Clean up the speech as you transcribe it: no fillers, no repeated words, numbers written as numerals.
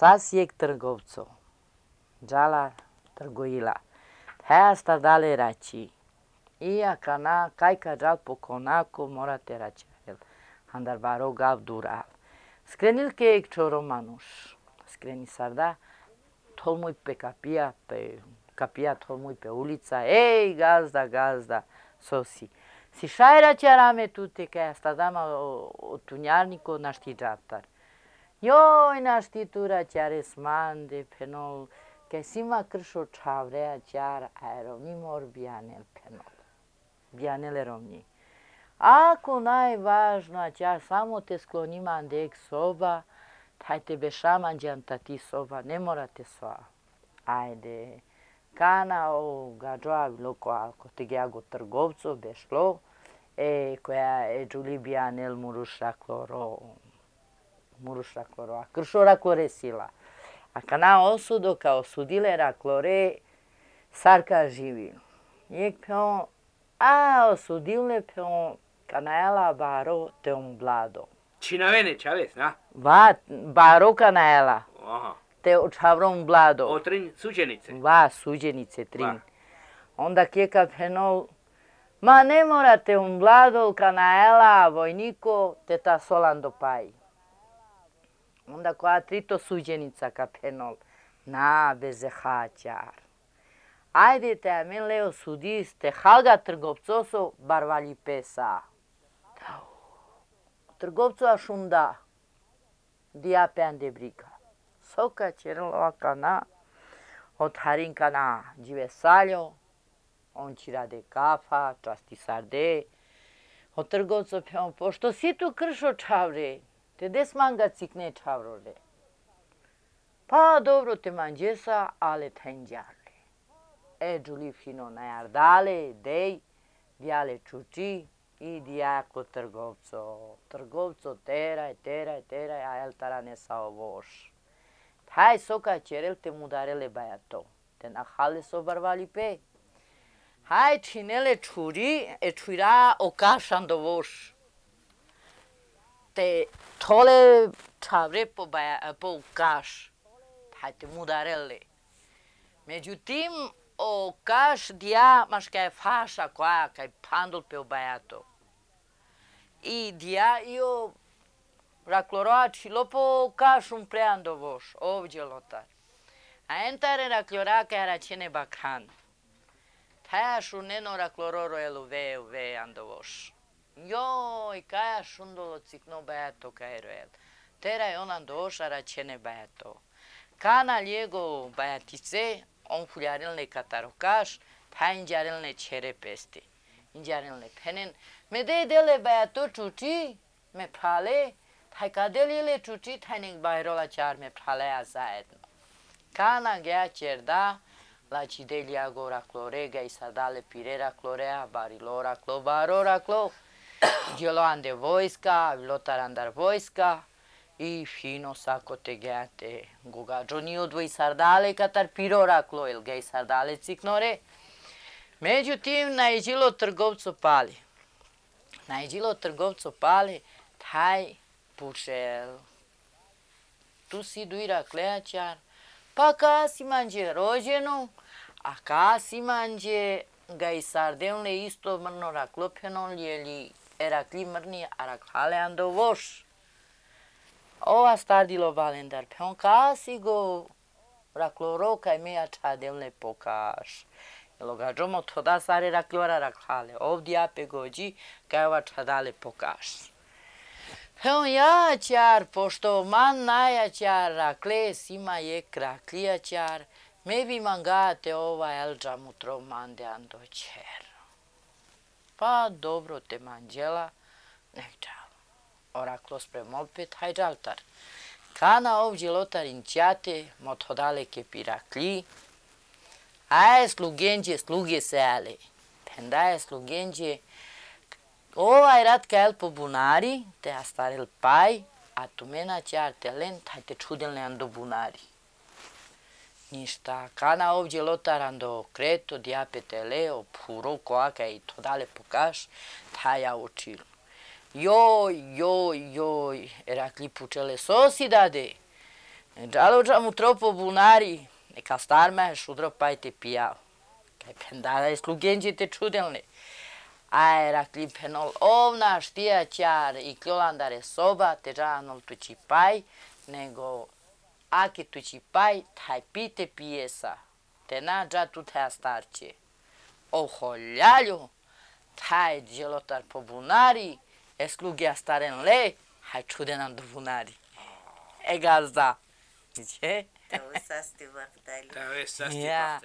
Sasijek trgovco, džala trgoila. Heasta dale rači. Ia kana, kajka džal pokonako morate račarel. Andar baro gav dural. Skrenil kejek čoro manuš. Skreni sarda, tolmuj pe kapija tolmuj pe ulica. Ej, gazda, gazda, sosi. Si šajra čarame tute kaj asta dama o tunjarniko našti džaptar. Joj, našti tura čare smande penol. Kaj sima kršo čavrea čar aerovni mor bijanel penol. Bijanele rovni. Ako najvažna čar samo te skloni mandek soba, taj tebe šaman džantati soba, ne morate sva. Ajde. Kana o gađoa loko alko te geago trgovco bešlo, koja je džuli bijanel muruša kloro, a kršo raklore sila. A kana osudo kao osudile raklore, sarka živi. Jek peon, a osudile peon, kana ela baro te on blado. Cinavene, Čavez, na? Va, baro kana ela. Aha. Te očavrom blado. O trin suđenice. Va, suđenice trin. Va. Onda kjeka penol, ma ne morate un blado kana ela vojniko te ta solan dopaj. Onda koja trito suđenica ka penol, na beze haćar. Ajde te amen leo sudis te halga trgovcoso barvalji pesa. Trgovco ašunda, dia pean de briga. Soka čerlova kana, od harin kana džive saljo, on ci rade kafa, časti sarde. Od trgovco peon, pošto si tu kršo čavre, te des manga cikne čavrore. Pa dobro te manđesa, ale tenđarle. Džuli fino najardale, dej, dijale čuči i dijako trgovco. Trgovco teraj, a el tara ne sao voš. Taj soka čerel te mudarele bajato. Te nahale so barvali pe. Hai činele čuri, čuira okašan do voš. Te tole čavre po kaš. Hai te mudarele. Međutim, o kaš dia mas kaj faša koja kaj pandol pe bajato. I dia io rakloroači lopo kašum preando voš, ovdje lotar. A entare raklora kaj račene bakran. Tajašu neno raklororo elu ve ando voš. Joj, kaj šundolo cikno bajato kaj roel. Teraj onan doša račene bajato. Kana ljego bajatice, on fuljarilne katarokaš, ta inđarilne čere pesti. Inđarilne penen. Me dele bajato čuči, me prale, taj kadelile čuči, taj nek bajrola čar me pralea zajedno. Kana gea čerda, lači delja go raklore, ga i sadale pire raklorea, barilo raklo, baro raklo, djelo ande vojska, lotar andar vojska, i fino sako te geate gogađo ni odvoj sardale katar piro raklo, il gej sardale ciknore. Međutim, najđilo trgovco pali. Najđilo trgovco pali, taj pušel. Tu si duira kleačar, pa ka si manđe rođenu, a ka si manđe ga i sardelne isto mrno raklopenon lijeli erakli mrni a raklale ando voš. Ova stardilo valendar, peon ka si go rakloro kaj meja čadelne pokaš. Logađomo toda sare raklora raklale, ovdje ape gođi kaj ova čadale pokaš. Peon ja čar, pošto man naja čar rakle sima jek raklija čar, me bi mangate ova elđa mutro mande ando čer. Pa dobro te manđela, nek čal. Oraklo sprem opet, haj džaltar. Kana ovdje lotar inćate, mot hodaleke pirakli, aje sluge se ale. Pendaje slugenđe, ovaj rat kaj po bunari, te astarel paj, a tu mena čar te len, taj te čudelne ando bunari. Ništa, kana ovdje lotar ando kreto, diapete leo, puro koaka i to dale pokaš, taj ja učil. Joj, erakli pučele sosi dade. Giallo troppo bunari, e castarme šudro pa te pijao. Kaj pendada je slugenđi te čudelni. A era klipenol ovna štija ćar i klolandare soba te žanol tući paj, nego aki tući paj, taj pite pijesa, te nađa tu te starće. O holjalju, taj djelotar po bunari, e slugija staren le, haj čudenan do bunari. E gazda. Gdje? To sasti vahdali. Tā viss sastāv. Jā.